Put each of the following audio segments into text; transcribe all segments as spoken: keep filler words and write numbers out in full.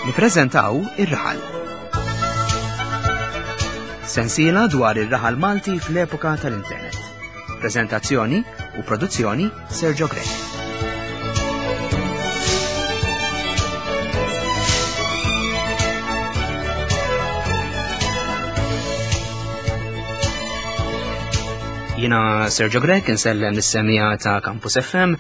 Nippreżentaw Ir-Raħal. Sensiela dwar ir-raħal Malti fl-epoka tal-internet. Prezentazzjoni u produzzjoni Sergio Grech. Jina Sergio Grech, insellem lis-semija ta' Campus F M,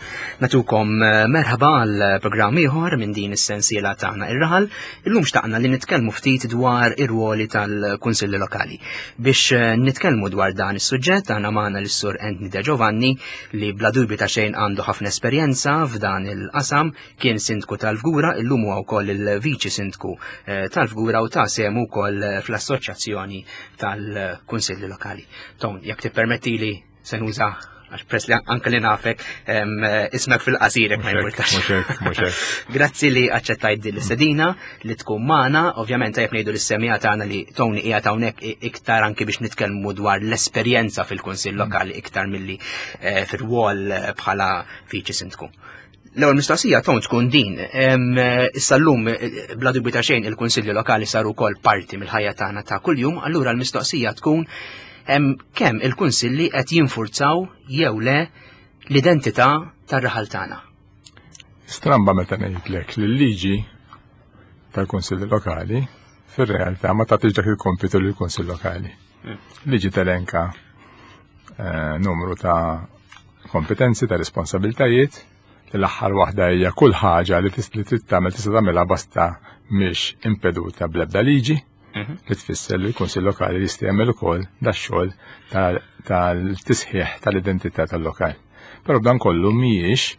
natukom, eh, merħba għal programm ieħor minn din is-sensiela tagħna Ir-Raħal. Illum xtaqna li nitkellmu ftit dwar ir-ruoli tal-Kunsilli Lokali. Biex, eh, nitkellmu dwar dan is-suġġett għandna magħna lis-Sur Anthony De Giovanni li bla dubju ta' xejn għandu ħafna esperjenza f'dan il-qasam, kien sindku tal-Fgura, illum huwa wkoll il-viċi sindku, eh, tal-Fgura u ta' sehem ukoll fl-Assoċjazzjoni tal-Kunsilli Lokali. Ton, jekk tippermettili se nuża, għax press li anke li nafek, em, ismek fil-qasir, jekk ma Mhux hekk, jimpurtax. mhux hekk, mhux hekk. Grazzi li aċċettajt din l-istedina li tkun magħna. Ovvjament tajjeb ngħidu lis-semija tagħna li Tony qiegħed hawnhekk i-, iktar anki biex nitkellmu dwar l-esperjenza fil-Kunsill Lokali iktar milli, eh, fir-rwol bħala viċi sindku. L-ewwel mistoqsija Tony tkun din. Em, issa llum, eh, bla dubju ta' xejn il-Kunsilli Lokali saru wkoll parti mill-ħajja tagħna ta' kuljum, allura l-mistoqsija tkun hemm kemm il-kunsilli qed jinfurzaw jew le l-identità tar-raħal tagħna. Stramba meta ngħidlek li l-liġi tal-Kunsilli Lokali fir-realtà ma tagħtix dak il-kompitu lill-Kunsill Lokali. Mm. Liġi telenka, eh, numru ta' kompetenzi, ta' responsabiltajiet, li l-aħħar waħda hija kull ħaġa li tis-, li trid tagħmel tista' tagħmilha basta mhix impeduta bl-ebda liġi. Mhm. Li tfisser li l-Kunsill Lokali jista' jagħmel ukoll dax-xogħol tal-, tal-tisħiħ tal-identità tal-lokal. Però dan kollu mhijiex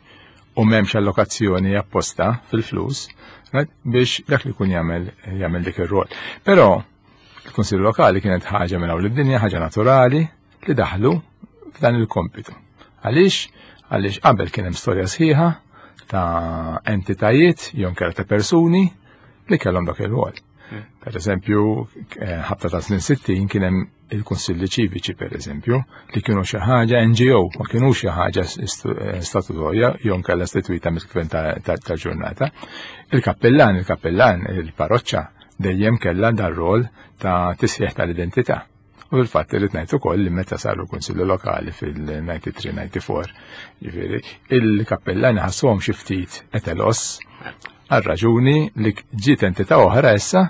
u m'hemmx allokazzjoni apposta fil-flus, right, biex dak li jkun jagħmel, jagħmel dik ir-rol. Però il-Kunsill Lokali kienet ħaġa minn hawn lid-dinja, ħaġa naturali li daħlu f'dan il-kompitu. Għaliex? Għaliex qabel kien hemm storja sħiħa ta' entitajiet jew inkella ta' persuni li kellhom dak ir-rol. Per eżempju, eh, ħabta ta' snin sittin kien hemm il-Kunsilli Ċiviċi, per eżempju, li kienu xi ħaġa N G O, ma kienu xi ħaġa istu-, eh, statutorja jew inkella istituita mill-gvern ta', ta', ta' ġurnata. Il-kappellan, il-kappellan, il-parroċċa dejjem kellha dar rol ta' tisħiħ tal-identità. U fil-fatt irrid ngħid ukoll li meta saru l-Kunsilli Lokali fil-ninety-three ninety-four, ġifieri, il-kappellani ħassuhom xi ftit etelos għal raġuni li ġiet entità oħra issa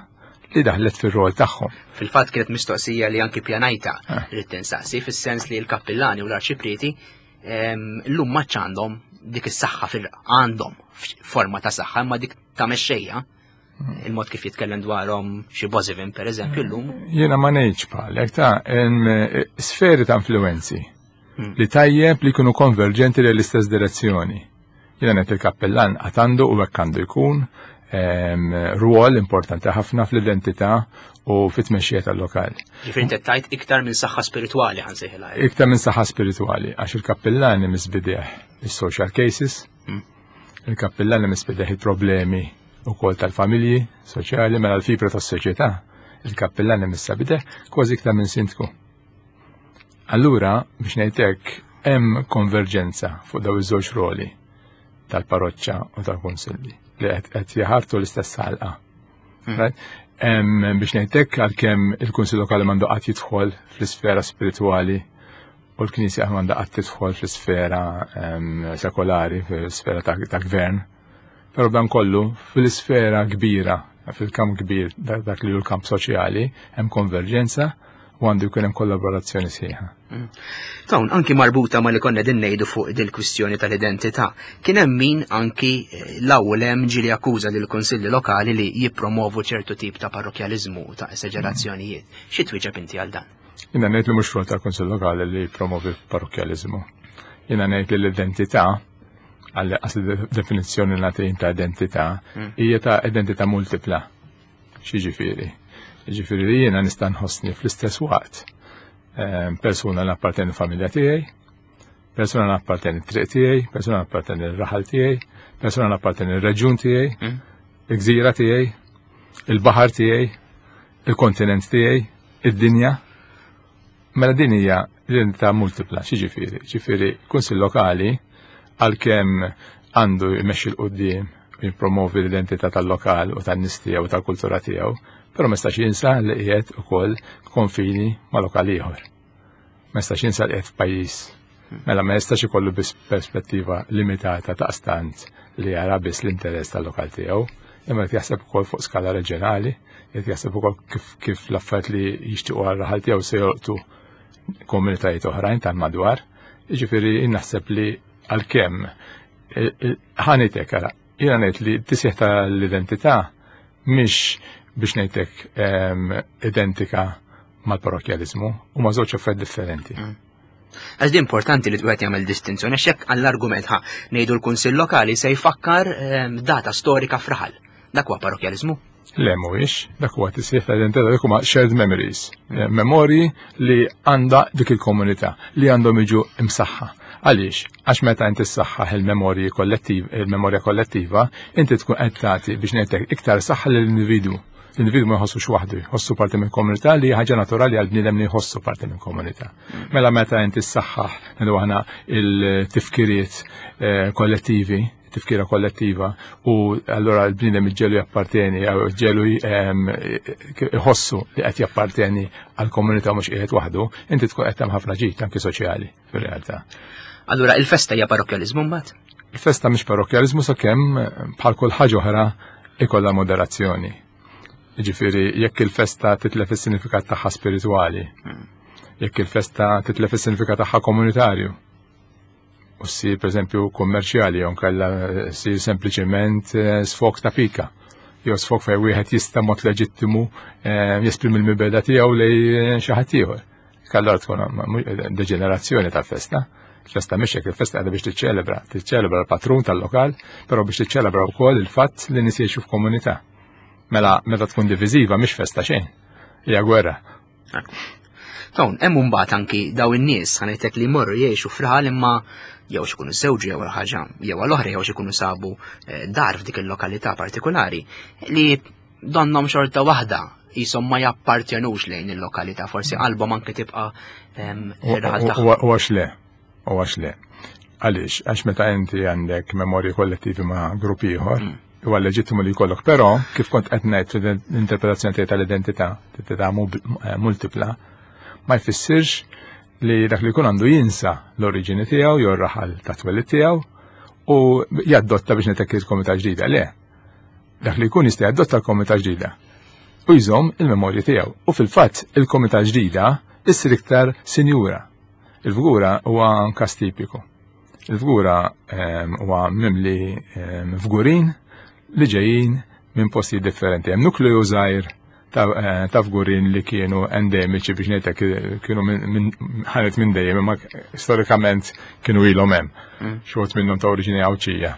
li daħlet fir-rol tagħhom. Fil-fatt kienet mistoqsija li anki pjanajta Ah. rrid tinsaqsi, fis-sens li l-kappillani u l-arċiprieti, ehm, llum ma għandhom dik is-saħħa fil għandhom forma ta' saħħa, imma dik ta' mexxejja, il-mod kif jitkellem dwarhom xi Bosivin per eżempju llum. Jiena ma ngħidx bħalek ta' hemm, eh, sferi ta' influenzi Hmm. li tajjeb li jkunu konverġenti lejn l-istess direzzjoni. Jiena ngħid il-kappellan qatt għandu u hekk għandu jkun, ehm, rwol importanti ħafna fl-identità u fit-tmexxija tal-lokal. Ġifieri inti tajt iktar minn saħħa spiritwali ħansejħilha. Iktar minn saħħa spiritwali, għax il-kappellani misbideh is-social cases, Hmm. il-kappellani misbideh il-problemi ukoll tal-familji soċjali, mela l-fibra tas-soċjetà, il-kappellani misbideh kważi iktar minn sindku. Allura, biex ngħid hekk, hemm konverġenza fuq daw iż-żewġ roli tal-parroċċa u tal-kunsilli li qed, qed jaħartu l-istess ħalqa. Hmm. Right? Em, biex ngħid hekk, għalkemm il-Kunsill Lokali m'għandu qatt jidħol fl-isfera spiritwali u l-Knisja m'għandha qatt tidħol fl-isfera, em, sekolari, fl-isfera ta', ta' gvern, però dan kollu fl-isfera kbira, fil-kamp kbir, dak, dak li hu l-kamp soċjali, hemm konverġenza u għandu jkun hemm kollaborazzjoni sħiħa. Mm. Tawn, anki marbuta ma li konna din ngħidu fuq dil-kwistjoni tal-identità, kien hemm min anki, eh, l-ewwel hemm ġieli akkuża lill-Kunsilli Lokali li jippromovu ċertu tip ta' parrokjaliżmu ta' esagerazzjonijiet. Xi twieġeb inti għal dan? Jiena ngħid li mhux rwol tal-Kunsill Lokali li jippromovi parrokjaliżmu. Jiena ngħid li l-identità, għal asli definizzjoni nagħti ta' identità, Mm. hija ta' identità multipla. X'jiġifieri? Jiġifieri li jiena nista' nħossni fl-istess waqt, ehm, persuna li apparteni l-familja tiegħi, persuna li apparteni t-triq tiegħi, persuna li apparteni l-raħal tiegħi, persuna li apparteni l-reġjun tiegħi, Mm. il-gżira tiegħi, il-baħar tiegħi, il-kontinent tiegħi, id-dinja. Mela din hija l-identità multipla, x'jiġifieri? Ġifieri kunsill lokali għalkemm għandu jmexxi l quddiem u jippromovi l-identità tal-lokal u tan-nies tiegħu u tal-kultura tiegħu, però ma jistax jinsa li qiegħed ukoll konfini ma' lokal ieħor. Ma jistax jinsa li qiegħed f'pajjiż. Mela ma jistax ikollu biss perspettiva limitata ta' stant li jara biss l-interess tal-lokal tiegħu, imma qed jaħseb ukoll fuq skala reġjonali, qed jaħseb ukoll kif, kif l-affarijiet li jixtiequ għar-raħal tiegħu se jolqtu komunitajiet oħrajn tal-madwar. Jiġifieri naħseb li għalkemm ħa ngħidlek ara, jiena ngħid li t-tisħiħ tal-identità mhix biex ngħidlek identika mal-parrokjaliżmu, huma żewġ affarijiet differenti. Mm. Għax di importanti li wieħed jagħmel distinzjoni, għax hekk għall-argument ħa ngħidu l-Kunsill Lokali se jfakkar data storika f'raħal. Dak huwa parrokjaliżmu? Le mhuwiex, dak huwa tisħiħ tal-identità, dak huma shared memories, eh, memorji li għandha dik il-komunità li għandhom jiġu imsaħħa. Għaliex? Għax meta inti ssaħħaħ il-memorji kollettiv, il-memorja kollettiva, inti tkun qed tagħti biex ngħidlek iktar saħħa lill-individwu. L-individwu ma jħossux waħdu, jħossu parti minn komunità li ħaġa naturali għal bniedem li jħossu parti minn komunità. Mela meta inti ssaħħaħ ngħidu aħna il-tifkiriet eh, kollettivi, tifkira kollettiva, u allora l-bniedem iġġelu japparteni, jew iġġelu jħossu li qed japparteni għal komunità mhux qiegħed waħdu, inti tkun qed tagħmel ħafna ġid anki soċjali fir-realtà. Allura il-festa hija parrokjaliżmu mbagħad? Il-festa mhix parrokjaliżmu sakemm bħal kull ħaġa oħra ikollha moderazzjoni. Jiġifieri jekk il-festa titlef is-sinifikat tagħha spiritwali, jekk il-festa titlef is-sinifikat tagħha komunitarju, u ssir pereżempju kummerċjali jew nkella ssir sempliċement eh, sfok ta' pika, jew sfok fejn wieħed jista' mod leġittimu eh, jesprimi l-mibeda tiegħu lej eh, xi ħadd ieħor. Allura tkun deġenerazzjoni tal-festa. Il-festa mhix hekk, il-festa qiegħda biex tiċċelebra, tiċċelebra l-patrun tal-lokal, però biex tiċċelebra wkoll il-fatt li nies jgħixu f'komunità. Mela meta tkun diviżiva mhix festa xejn, hija gwerra. Dawn, hemm mbagħad anki daw in-nies ħa ngħidlek li jmorru jgħixu f'raħal imma jew x'ikunu żewġu jew ħaġa jew għal oħra jew x'ikunu sabu eh, dar f'dik il-lokalità partikolari li donhom xorta waħda jisom ma jappartjenux lejn il-lokalità, forsi qalbhom anke tibqa' ir-raħal tagħhom. U għax le, u għax le. Għaliex, għax meta inti għandek memorji kollettivi ma' grupp ieħor, mm. huwa leġittimu li jkollok, però kif kont qed ngħid fl-interpretazzjoni tiegħi tal-identità, identità eh, multipla, ma jfissirx li dak li jkun għandu jinsa l-oriġini tiegħu jew r-raħal ta' twelid tiegħu u jaddotta biex ngħidlek il-komunità ġdida. Le, dak li jkun jista' jaddotta l-komunità ġdida u jżomm il-memorji tiegħu. U fil-fatt il-komunità ġdida issir iktar sinjura. Il-Fgura huwa każ tipiku. Il-Fgura ehm, huwa mimli ehm, fgurin li ġejjin minn postijiet differenti. Hemm nukleju żgħir ta' eh, fgurin li kienu endemiċi biex ngħidlek kienu ħanet minn dejjem imma storikament kienu ilhom hemm. Mm. Xi wħud minnhom ta' oriġini Għawdxija.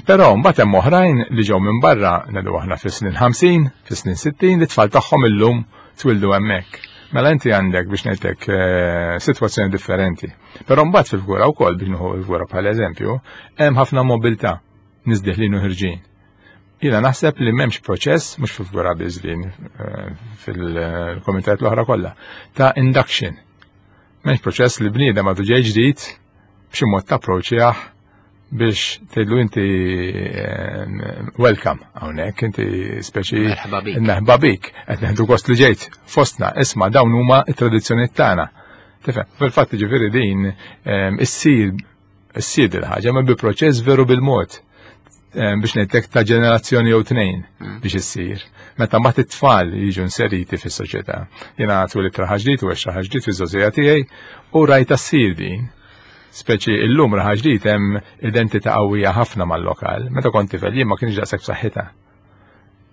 Però mbagħad hemm oħrajn li ġew minn barra ngħidu aħna fis-snin ħamsin, fis-snin sittin li tfal tagħhom illum twildu hemmhekk. Mela inti għandek biex ngħidlek eh, sitwazzjoni differenti. Però mbagħad fil-Fgura wkoll biex nieħu l-Fgura bħala eżempju, hemm ħafna mobilità nies deħlin u ħirġin. Jiena naħseb li m'hemmx proċess, mhux fil-Fgura biss din eh, fil-komunitajiet l-oħra kollha, ta' induction. M'hemmx proċess li bniedem għadu ġej ġdid b'xi mod tapproċċjah biex tgħidlu inti eh, welcome hawnhekk, inti speċi Merħba bik. Merħba bik, qed neħdu gost li ġejt fostna, isma' dawn huma t-tradizzjonijiet tagħna. Tifhem, fil-fatt ġifieri din eh, issir issir il-ħaġa ma bi proċess veru bil-mod biex ngħidlek ta' ġenerazzjoni jew tnejn mm. biex issir. Meta mbagħad it-tfal jiġu inseriti fis-soċjetà. Jiena twelidt Raħal Ġdid u għext Raħal Ġdid fiż-żgħożija tiegħi u rajta ssir din. Speċi illum Raħal Ġdid hemm identità qawwija ħafna mal-lokal. Meta kont tifel jien ma kienx daqshekk b'saħħitha.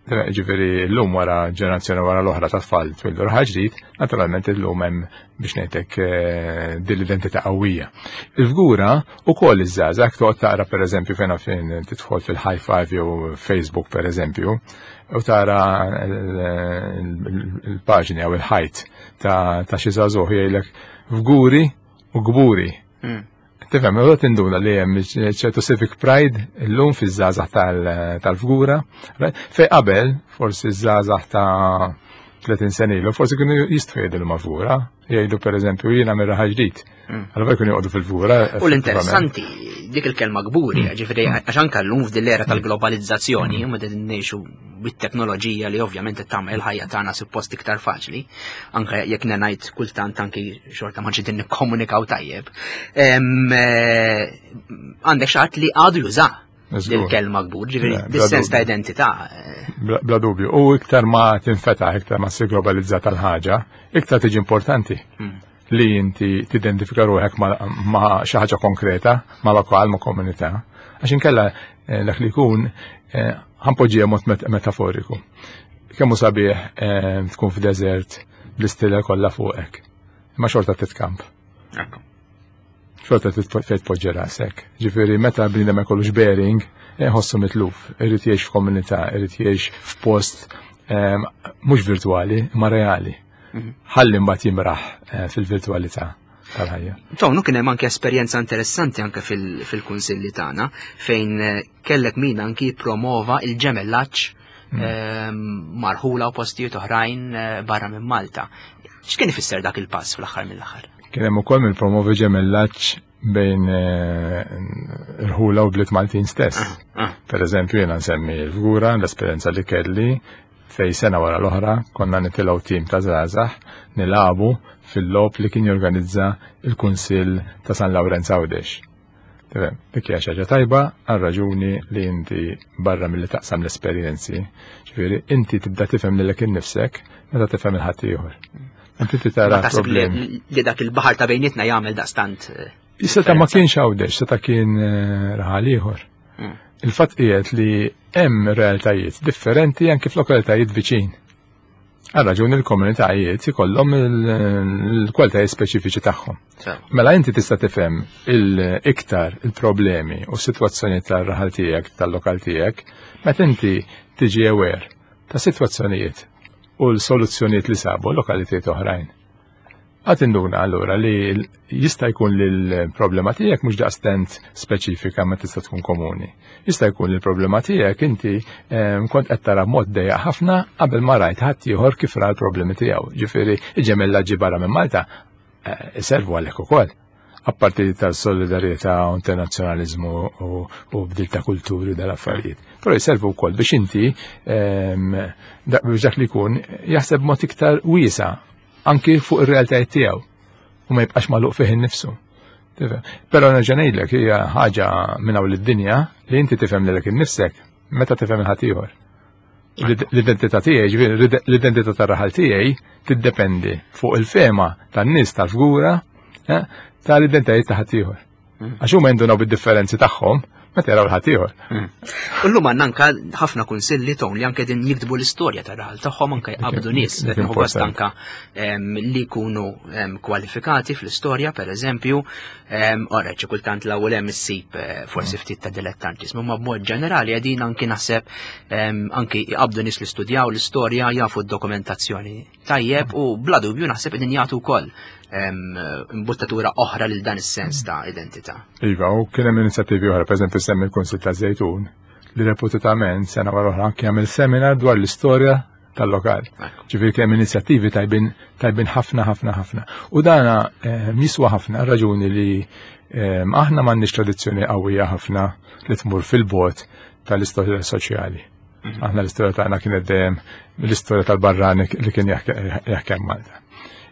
Ġifieri llum wara ġenerazzjoni wara l-oħra ta' tfal twildu Raħal Ġdid, naturalment illum hemm biex ngħidlek eh, din l-identità qawwija. Il-Fgura ukoll iż-żgħażagħ toqgħod taqra pereżempju fejn fejn tidħol fil-High Five jew Facebook pereżempju, u tara l-paġni jew il-ħajt ta' xi żagħżugħ jgħidlek Fguri u Gburi. Hmm. Tifhem, u tinduna li hemm ċertu civic pride illum fiż-żgħażagħ tal-Fgura, fej qabel forsi ż-żgħażagħ ta' tletin sena ilu, forsi kienu jistgħu jgħidu ma' Fgura, jgħidu pereżempju jiena minn Raħal Ġdid. Mm. Allura jkunu joqogħdu fil-Fgura. U l-interessanti Dik il-kelma kburi, mm. ġifieri għax anke llum f'din l-era tal-globalizzazzjoni, mm. meta ngħixu bit-teknoloġija li ovvjament qed tagħmel il-ħajja tagħna suppost iktar faċli, anke jekk ngħid kultant anki xorta ma ġiet nikkomunikaw tajjeb. Eh, għandek xi ħadd li għadu juża il-kelma kbur, ġifieri dis-sens ta' identità. Eh. Bla dubju. U iktar ma tinfetaħ, iktar ma ssir globalizzata l-ħaġa, iktar tiġi importanti. Hmm. Li inti tidentifika ruħek ma xi ħaġa konkreta, ma lokal, ma komunità. Għax inkella eh, dak li jkun eh, ħa npoġġiha mod metaforiku. Kemm hu sabiħ tkun f'deżert bl-istilla kollha fuqek. Imma xorta titkamp. Xorta fejn tpoġġi rasek. Ġifieri meta bniedem ma jkollux bearing, ħossu mitluf, irid jgħix f'komunità, irid jgħix f'post mhux virtwali, ma reali. Mhm. Ħalli mbagħad jimraħ eh, fil-virtwalità tal-ħajja. Tonu kien hemm anke esperjenza interessanti anke fil-kunsilli tagħna fejn eh, kellek min anki promova il-ġemellaġġ mm. ehm, ma' rħula u postijiet oħrajn eh, barra minn Malta. X'kien ifisser dak il-pass fl-aħħar mill-aħħar? Kien hemm ukoll min promovi ġemellaġġ bejn eh, irħula u bliet Maltin stess. Ah, ah. Per eżempju, jiena nsemmi l-Fgura, l-esperjenza li kelli fej sena wara l-oħra konna nitilgħu tim ta' żgħażagħ nilagħbu fil-logħob li kien jorganizza il-Kunsill ta' San Lawrenz Għawdex. Tifhem, dik hija xi ħaġa tajba għal raġuni li inti barra milli taqsam l-esperjenzi. Ġifieri inti tibda tifhem lilek innifsek meta tifhem il-ħaddieħor. Inti tara problemi. Li dak il-baħar ta' bejnietna jagħmel daqstant. Eh, Seta ma kienx Għawdex, seta kien eh, raħal ieħor. Mm. Il-fatt qiegħed li hemm realtajiet differenti anke f'lokalitajiet viċin. Għal raġuni l-komunitajiet ikollhom il-kwalitajiet speċifiċi tagħhom. Mela inti tista' tifhem il-iktar il-problemi u s-sitwazzjoni tar-raħal tiegħek, tal-lokal tiegħek, meta inti tiġi aware ta' sitwazzjonijiet u l-soluzzjonijiet li sabu lokalitajiet oħrajn. Għad induna allura li jista' jkun li l-problema tiegħek mhux daqstant speċifika ma tista' tkun komuni. Jista' jkun li l-problema tiegħek inti ehm, kont qed tara mod dejjaq ħafna qabel ma rajt ħadd ieħor kif ra l-problemi tiegħu. Ġifieri il-ġemellaġġi barra minn Malta eh, iservu għalhekk ukoll. Apparti tal-solidarjetà u internazzjonaliżmu u bdil ta' kulturi dal-affarijiet. Però jservu wkoll biex inti ehm, biex dak li jkun jaħseb mod iktar wiesa' anki fuq ir-realtajiet tiegħu u ma jibqax magħluq fih innifsu. Però nerġa' ngħidlek hija ħaġa minn hawn lid-dinja li inti tifhem lilek innifsek meta tifhem il-ħaddieħor. L-identità tiegħi, ġifieri l-identità tar-raħal tiegħi tiddependi fuq il-fema tan-nies tal-fgura eh, tal-identitajiet ta' ħaddieħor. Mm. Għax huma jindunaw bid-differenzi tagħhom meta jaraw l-ħaddieħor. Mm. U llum għandna anka ħafna kunsilli ton li anke din jiktbu l-istorja tar-raħal tagħhom anke jqabdu nies gost anka li jkunu kwalifikati fl-istorja pereżempju, ora xi kultant l-ewwel hemm issib eh, forsi mm. ftit ta' dilettantiżmu, ma b'mod ġenerali qegħdin anki naħseb anki jqabdu nies li studjaw l-istorja jafu d-dokumentazzjoni tajjeb u bla dubju naħseb qegħdin jagħtu wkoll imbuttatura oħra lil dan is-sens ta' identità. Iva, u kien hemm inizjattivi oħra, pereżempju semmi l-Kunsill ta' Żejtun, li reputament sena wara oħra anke jagħmel seminar dwar l-istorja tal-lokal. Ġifieri kien hemm inizjattivi tajbin tajbin ħafna ħafna ħafna. U dana eh, jiswa ħafna raġuni li eh, aħna m'għandniex tradizzjoni qawwija ħafna li tmur fil-bot tal-istorja soċjali. Mhm. Aħna l-istorja tagħna kienet dejjem l-istorja tal-barrani li kien jaħkem Malta.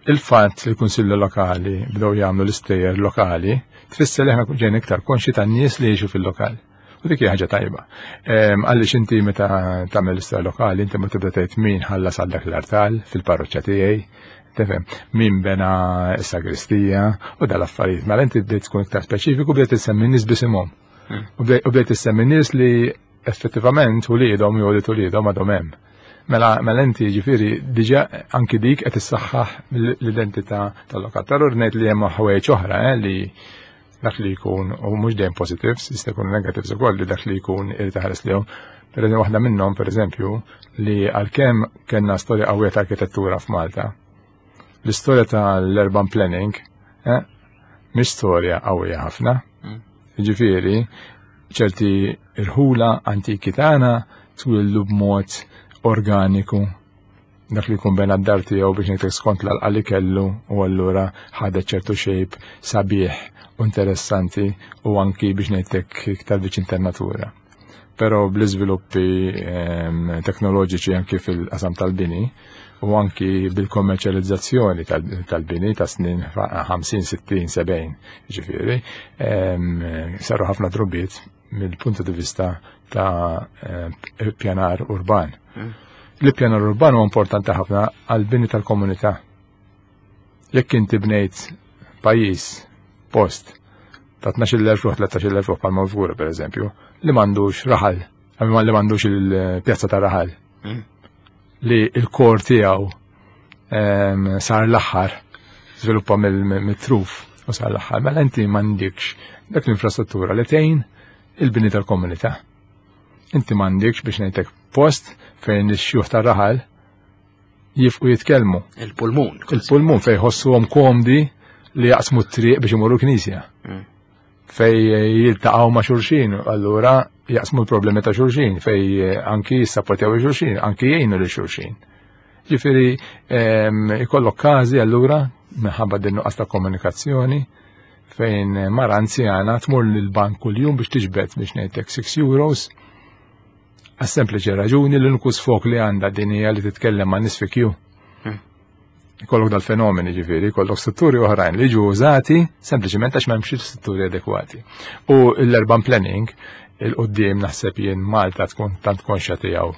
Il-fatt li l-Kunsilli Lokali bdew jagħmlu l-istejjer lokali tfisser li aħna ġejna iktar konxi tan-nies li jgħixu fil-lokal. U dik hija ħaġa tajba. Għaliex inti meta tagħmel l-istorja lokali inti ma tibda tgħid min ħallas għal dak l-artal fil-parroċċa tiegħi, tifhem, min bena s-sagristija u dal-affarijiet. Mela inti bdejt tkun iktar speċifiku bdejt issemmi nies bisimhom. Hmm. U bdejt issemmi nies li effettivament uliedhom jew li uliedhom għadhom hemm. Mela, mela inti ġifieri diġà anki dik qed issaħħaħ l-identità tal-lokal. Però ngħid li hemm ħwejjeġ oħra eh, li dak li jkun u mhux dejjem positives, jista' jkun negatives ukoll li dak li jkun irid iħares lihom. Per eżempju, waħda minnhom pereżempju li għalkemm kellna storja qawwija ta' arkitettura f'Malta, l-istorja tal-urban planning eh, mhix storja qawwija ħafna. Mm. Ġifieri, ċerti irħula antiki tagħna twildu b'mod organiku Dak li jkun bena d-dar tiegħu biex ngħidlek skont l li kellu u allura ħadet ċertu shape sabiħ u interessanti u anki biex ngħidlek iktar viċin tan-natura. Però bl-iżviluppi ehm, teknoloġiċi anki fil-qasam tal-bini u anki bil-kommerċjalizzazzjoni tal-bini ta' snin ħamsin, sittin, sebgħin, ġifieri, ehm, saru ħafna drubiet mill-punt di vista ta' eh, pjanar urban. Mm. L-pjanar urban huwa importanti ħafna għal-bini tal-komunità. Jekk inti bnejt pajjiż, post, ta' tnax-il elf ruħ, tlettax-il elf ruħ bħal Fgura per eżempju, li m'għandux raħal, li m'għandux il-pjazza ta' raħal, mm. li il-kor tiegħu ehm, sar l-aħħar, żviluppa mill-truf u sar l-aħħar, mela inti m'għandikx dak l-infrastruttura li tgħin il-bini tal-komunità. Inti m'għandikx biex ngħidlek post fejn ix-xjuħ tar-raħal jifqu jitkellmu. Il-pulmun. Il-pulmun fejn jħossuhom komdi li jaqsmu t-triq biex imorru knisja. Mm. Fej jiltaqgħu ma' xulxin, allura jaqsmu l-problemi ta' xulxin, fej anki jissapportjaw xulxin, anki jgħinu lil xulxin. Ġifieri ehm, ikollok każi allura minħabba din nuqqas ta' komunikazzjoni fejn mara anzjana tmur lill-bank kuljum biex tiġbed biex ngħidlek six euros għas-sempliċi raġuni li l-uniku sfok li għandha din hija li titkellem ma' nies fi kju. Hmm. Ikollok dal-fenomeni ġifieri, ikollok strutturi oħrajn li ġu użati sempliċement għax m'hemmx strutturi adekwati. U l-urban planning il-qoddim naħseb jien Malta tkun tant konxja tiegħu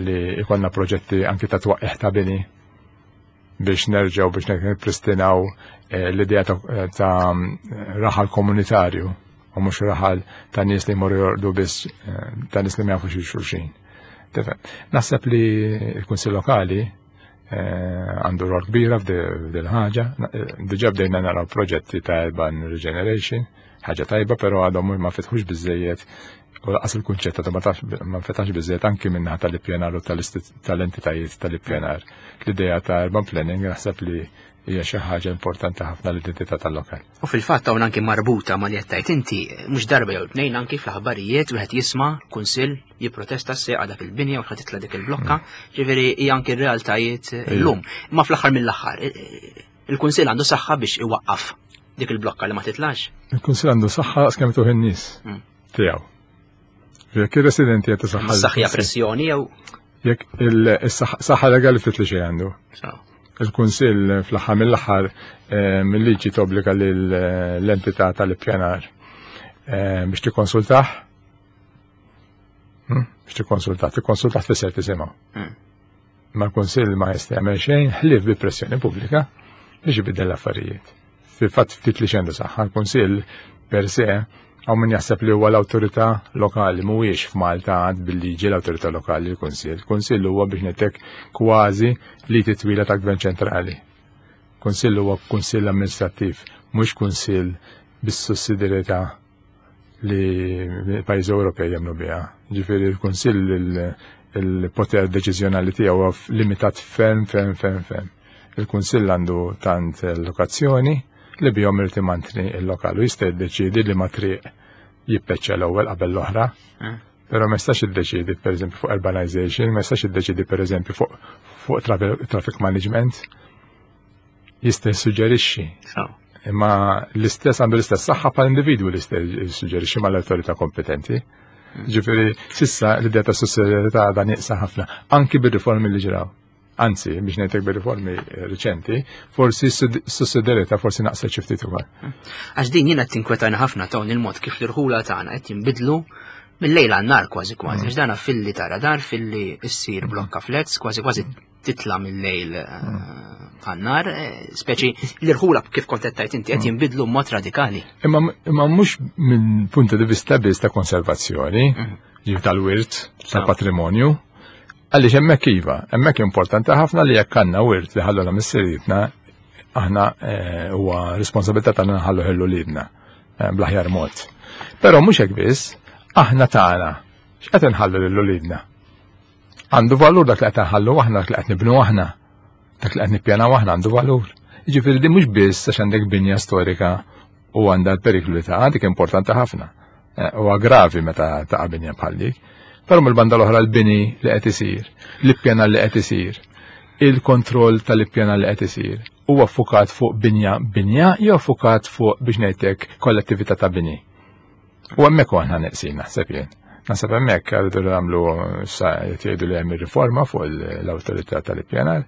li ikollna proġetti anki ta' twaqqih ta' bini biex nerġgħu biex nippristinaw eh, l-idea ta', ta raħal komunitarju u mhux raħal ta' nies li jmorru jorqdu biss, eh, ta' nies li ma jafux xulxin. Tifhem. Naħseb li l-Kunsill Lokali eh, għandu rol kbira f'dil ħaġa. Diġà bdejna naraw proġetti ta' urban regeneration, ħaġa tajba, però għadhom ma fetħux biżejjed u laqas il-kunċett ta' ma fetax biżejjed anki minnaħa tal-ippjanar u tal-entitajiet tal-ippjanar. L-idea ta' urban planning naħseb li hija xi ħaġa importanti ħafna l-identità tal-lokal. U fil-fatt hawn anki marbuta ma' li qed tgħid inti, mhux darba jew tnejn anki fl-aħbarijiet wieħed jisma' kunsill jipprotesta s-seqa dak il-binja u ħadd titla' dik il-blokka, ġifieri hija anki r-realtajiet illum. Imma fl-aħħar mill-aħħar, il-kunsill għandu saħħa biex iwaqqaf dik il-blokka li ma titlax. Il-kunsill għandu saħħa skemm tuħ in-nies Mm. tiegħu. Jekk ir-residenti qed isaħħa Saħħa pressjoni jew Jekk il-saħħa legali ftit li xejn għandu. Il-Kunsill fl-aħħar mill-aħħar, eh, mill-liġi tobbliga l-entità tal-ippjanar, eh, biex tikkonsultah. Hmm? Biex tikkonsultah, tikkonsultah tfisser tisimgħu. Hmm. Ma l-Kunsill ma jista' jagħmel xejn ħlief bi pressjoni pubblika biex ibiddel l-affarijiet. Fil-fatt ftit li xendu saħħa, l-Kunsill per se hawn min jaħseb li huwa l-awtorità lokali, mhuwiex f'Malta għad bil-liġi l-awtorità lokali l-Kunsill. Il-Kunsill huwa biex ngħidlek kważi li titwila ta' gvern ċentrali. Kunsill huwa kunsill amministrattiv, mhux kunsill bis-sussidjarjetà li pajjiżi Ewropej jemmnu biha. Ġifieri l-Kunsill il-poter deċiżjonali tiegħu huwa limitat ferm, ferm, ferm, ferm. Il-Kunsill għandu tant lokazzjoni li bihom irid imantni l-lokal u jista' jiddeċiedi li ma triq jippeċċa l-ewwel qabel l-oħra. Mm. Però ma jistax jiddeċiedi pereżempju fuq urbanization, ma jistax jiddeċiedi pereżempju fuq, fuq traffic, traffic management. Jista' jissuġġerixxi. So. Imma l-istess għandu l-istess saħħa bħal individwu li jista' jissuġġerixxi mal-awtorità kompetenti. Ġifieri sissa l-idea ta' sussidjarjetà għadha nieqsa ħafna, anki bir-riformi li ġraw. Anzi, biex ngħidlek bir-riformi riċenti, forsi s-sussidjarjetà forsi naqset xi ftit ukoll. Għax din jiena tinkwetani ħafna ta' il-mod kif l-irħula tagħna qed jinbidlu mill-lejl għan-nar kważi kważi. Għax dana filli tara dar, filli issir blokka flats, kważi kważi titla mill-lejl għan-nar, speċi l-irħula kif kont qed tgħid inti qed jinbidlu b'mod radikali. Imma, imma mhux minn punta di vista biss ta' konservazzjoni, ġif tal-wirt, tal-patrimonju, għaliex hemmhekk iva, hemmhekk importanti ħafna li jekk għandna wirt li ħalluna missirietna, aħna, eh, huwa responsabilità tagħna nħallu ħellu lilna, eh, bl-aħjar mod. Però mhux hekk biss, aħna tagħna x'qed inħallu lil uliedna? Għandu valur dak li qed nħallu aħna, dak li qed nibnu aħna, dak li qed nippjanaw aħna għandu valur. Jiġifieri din mhux biss għax għandek binja storika u għandha l-periklu li taqa', dik importanti ħafna. Eh, huwa gravi meta taqa' binja bħal dik. Però mill-banda l-oħra l-bini li qed isir, l-ippjanar li qed isir, Il-kontroll tal-ippjanar li qed isir huwa ffukat fuq binja binja jew ffukat fuq, biex ngħidlek, kollettività ta' bini? U hemmhekk aħna neqsin, naħseb jien. Naħseb hemmhekk għadu nagħmlu sa jgħidu li hemm riforma fuq l-awtorità tal-ippjanar.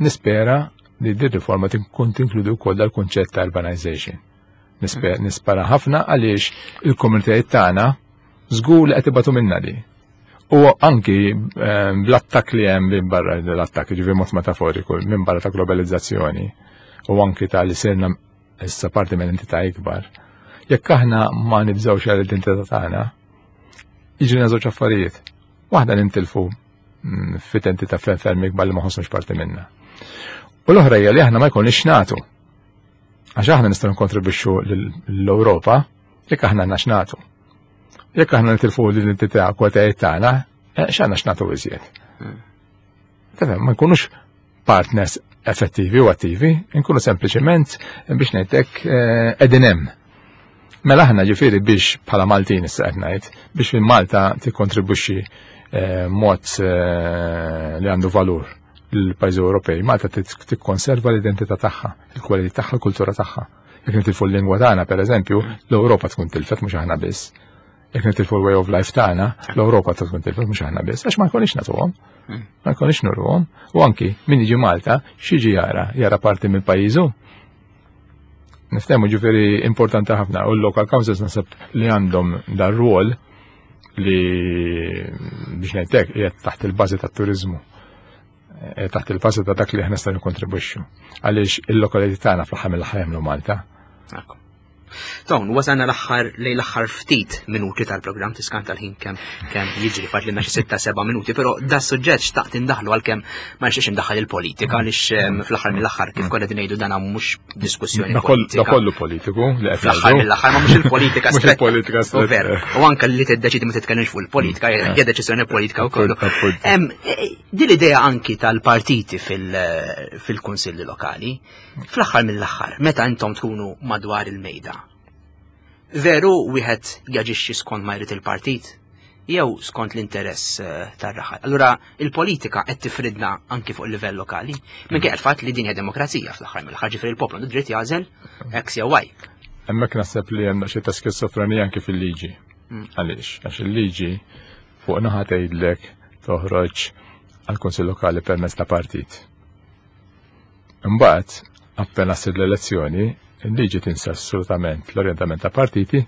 Nispera li din riforma tkun tinkludi wkoll dal-kunċett ta' urbanization. Nispera ħafna, għaliex il-komunitajiet tagħna żgur li qed ibatu minna di. U anki ehm, bl-attak li hemm minn barra, l-attak ġifi mod metaforiku, minn barra ta' globalizzazzjoni u anki ta' li sirna issa parti minn entità ikbar. Jekk aħna ma nibżgħux għall-identità tagħna, jiġri żewġ affarijiet. Waħda, nintilfu mm, fit-entità ferm ikbar li ma ħossux parti minna. U l-oħra hija li aħna ma jkollniex nagħtu. Għax aħna nistgħu nkontribwixxu l-Ewropa jekk aħna għandna x'nagħtu. Jekk aħna nitilfu l-identità kwalitajiet tagħna, eh, x'għandna x'nagħtu iżjed? Tefhem, ma nkunux partners effettivi u attivi, nkunu sempliċement, biex ngħidlek, eh, qegħdin hemm. Mela aħna ġifieri biex bħala Maltin issa qed ngħid, biex minn Malta tikkontribwixxi eh, mod li għandu valur l-pajjiżi Ewropej, Malta tikkonserva l-identità tagħha, il-kwalità tagħha, il-kultura tagħha. Jekk nitilfu l-lingwa tagħna, pereżempju, l-Ewropa tkun tilfet, mhux aħna biss. Jekk nitilfu l-way of life tagħna, l-Ewropa tkun tilfet, mhux aħna biss, għax ma jkunix nagħtuhom. Ma jkunix nurruhom. U anki min jiġi Malta, x'jiġi jara? Jara parti mill pajjiżu. Niftehmu, ġifieri importanti ħafna u l-local councils naħseb li għandhom dar rwol li, biex ngħidlek, qiegħed taħt il-bażi tat-turiżmu, taħt il-bażi ta' dak li aħna nistgħu nikkontribwixxu. Għaliex il-lokalità tagħna fl-aħħar mill-aħħar jagħmlu Malta. Ton, wasalna l-aħħar lejn l-aħħar ftit minuti tal-programm, tiskanta l-ħin kemm kemm jiġri, fadlilna xi sitta seba' minuti, però da suġġett xtaqt indaħlu għalkemm ma nixtiex indaħħal il-politika, għaliex fl-aħħar mill-aħħar, kif kollha ngħidu, dan mhux diskussjoni politika. Da kollu politiku li qed Fl-aħħar mill-aħħar ma mhux il-politika. Mhux il-politika. U veru. U anke li tiddeċidi ma titkellimx fuq il-politika hija deċiżjoni politika wkoll. Din l-idea anki tal-partiti fil-kunsilli lokali, fl-aħħar mill-aħħar, meta intom tkunu madwar il-mejda, veru wieħed jaġixxi skont ma jrid il-partit jew skont l-interess eh, tar-raħal? Allura il-politika qed tifridna anki fuq il-livell lokali, minkejja il-fatt li din hija demokrazija fl-aħħar mill-aħħar, ġifieri il-poplu għandu dritt jagħżel X jew Y. Hemmhekk naħseb li hemm xi ta' skizofrenija anki fil-liġi. Mm. Għaliex? Għax il-liġi fuq naħa tgħidlek toħroġ għall-Kunsill Lokali permezz ta' partit. Imbagħad, appena ssir l-elezzjoni, il-liġi tinsa assolutament l-orientament ta' partiti,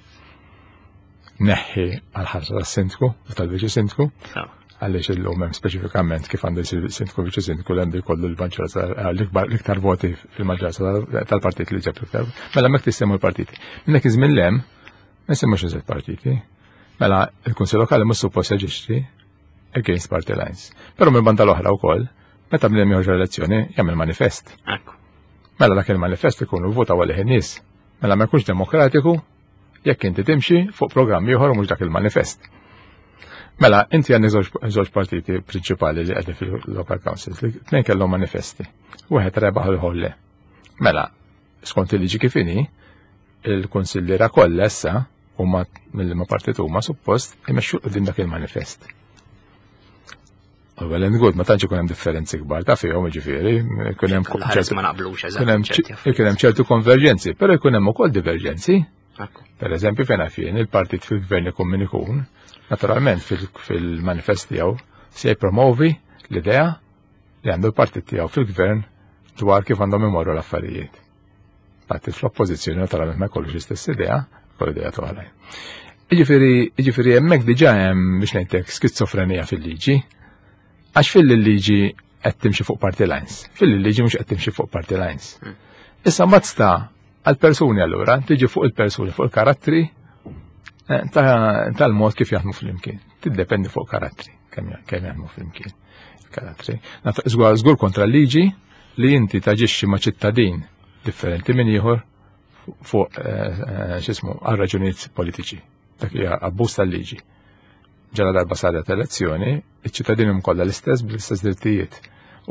neħħi għal-ħarsa tas-sindku u tal-viċi sindku, għaliex illum hemm speċifikament kif għandu jsir sindku, viċi sindku, li għandu jkollu l-maġġoranza, l-iktar voti fil-maġġoranza tal-partit li ġab l-iktar. Mela hemmhekk tissemmu l-partiti. Minn dak iż-żmien 'l hemm ma jsemmux iżjed partiti. Mela il-Kunsill Lokali mhux suppost jaġixxi against party lines. Però minn banda l-oħra wkoll, meta bniedem joħroġ elezzjoni, jagħmel manifest. Mela dak il-manifest ikunu votaw għalih in-nies. Mela ma jkunx demokratiku jekk inti timxi fuq programm ieħor u mhux dak il-manifest. Mela, inti għandek żewġ partiti prinċipali li qegħdin fil-local councils li tnejn kellhom manifesti. Wieħed rebaħ, l-ieħor le. Mela, skont il-liġi kif inhi, il-kunsilliera kollha issa huma mill-ma partit huma suppost imexxu quddiem dak il-manifest. Well and good, ma tantx ikun hemm differenzi kbar ta' fihom, ġifieri, ikun hemm ma naqblux. Ikun hemm ċertu konverġenzi, però jkun hemm ukoll diverġenzi. Per eżempju, fejn fien il-partit fil-gvern ikun min ikun, naturalment fil-manifest tiegħu se jippromovi l-idea li għandu l-partit tiegħu fil-gvern dwar kif għandhom imorru l-affarijiet. Partit fl-oppożizzjoni naturalment ma jkollux l-istess idea, kollu idea oħrajn. Jiġifieri, jiġifieri hemmhekk diġà hemm, biex ngħidlek, skizofrenija fil-liġi, għax fil-liġi qed timxi fuq party lines, fil-liġi mhux qed timxi fuq party lines. Hmm. Issa mbagħad sta għal-persuni allura, tiġi fuq il-persuni, fuq il-karattri eh, tal-mod kif jaħdmu fl-imkien. Tiddependi fuq karattri, kemm jaħdmu fl-imkien. Karattri. Żgur kontra l-liġi li inti taġixxi ma' ċittadin differenti minn ieħor fuq eh, eh, x'ismu għal raġunijiet politiċi. Dak hija abbuż tal-liġi. Ġala darba saret elezzjoni, iċ-ċittadini kollha l-istess bl-istess drittijiet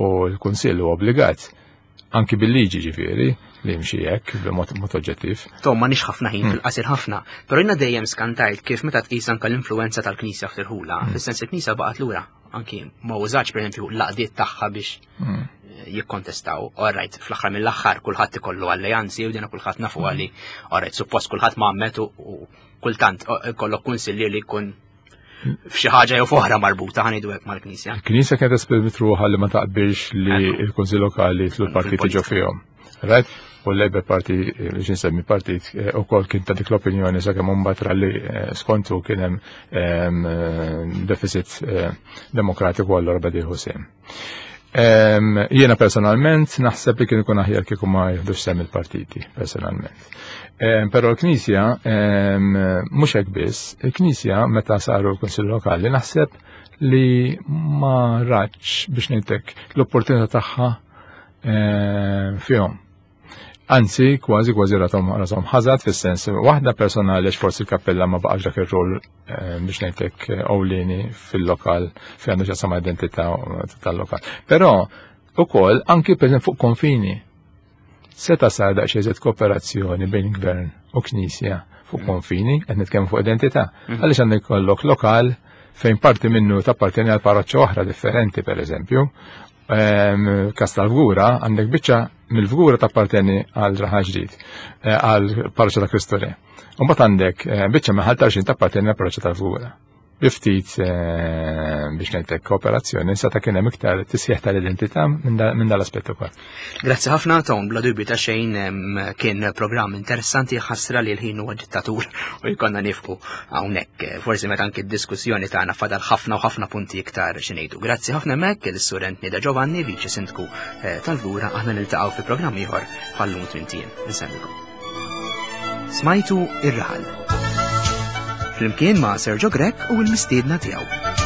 u l-Kunsill huwa obbligat anki bil-liġi, ġifieri, li jimxi hekk b'mod mod oġġettiv. Tom, ma nix ħafna ħin, hmm. fil-qasir ħafna, però jiena dejjem skantajt kif meta tqis anke l-influenza tal-Knisja fl-irħula, hmm. fis-sens il-Knisja baqgħet lura, anki ma użax, pereżempju, l-għaqdiet tagħha biex hmm. jikkontestaw. Alright, fl-aħħar mill-aħħar kulħadd ikollu alleanzi u dina kulħadd nafu għali. Alright, suppost kulħadd mgħammed u kultant ikollok kunsillier li jkun f'xi ħaġa jew f'oħra marbuta, ħa ngħidu hekk, mal-Knisja. Il-Knisja kienet esprimiet ruħha li ma taqbilx li l-Kunsill Lokali jitilgħu l-partiti ġo fihom. Right? U l-Labour Party, li nsemmi partit, ukoll kien ta' dik l-opinjoni sakemm imbagħad li skontu kien hemm deficit demokratiku, allura beda jieħu sehem. Jiena personalment naħseb li kien ikun aħjar kieku ma jieħdux sehem il-partiti, personalment. Però l-Knisja, mhux hekk biss, il-Knisja meta saru l-Kunsill Lokali naħseb li ma ratx, biex ngħidlek, l-opportunità tagħha fihom. Anzi, kważi kważi rathom rathom ħażat fis-sens waħda personali, għax forsi l-kappella ma baqax dak ir-rol, biex ngħidlek, ewlieni fil-lokal fejn għandu x'jaqsam identità tal-lokal. Però ukoll anki per fuq konfini. Seta sar daqsxejn iżjed kooperazzjoni bejn gvern u knisja fuq konfini, qed nitkellmu fuq identità. Għaliex għandek kollok lokal fejn parti minnu tappartieni għal parroċċa oħra differenti, per eżempju? Kas tal-Fgura, għandek biċċa mill-Fgura tappartieni għal Raħal Ġdid, għal parroċċa ta' Kristu Re. U mbagħad għandek biċċa minn Ħal Tarxien tappartieni għal parroċċa tal-Fgura. Bi ftit, biex ngħidlek, kooperazzjoni, seta' kien hemm iktar tisħiħ tal-identità minn dal-aspett ukoll. Grazzi ħafna, Tom, bla dubju ta' xejn kien programm interessanti, ħasra li l-ħin huwa dittatur u jkollna nieqfu hawnhekk. Forsi meta anki d-diskussjoni tagħna fadal ħafna u ħafna punti iktar xi ngħidu. Grazzi ħafna hemmhekk il-Sur Anthony De Giovanni, Viċi Sindku tal-Fgura, aħna niltaqgħu fi programm ieħor bħal-lum tmint ijiem. Insellmilkom. Smajtu Ir-Raħal flimkien ma' Sergio Grech u l-mistiedna tiegħu.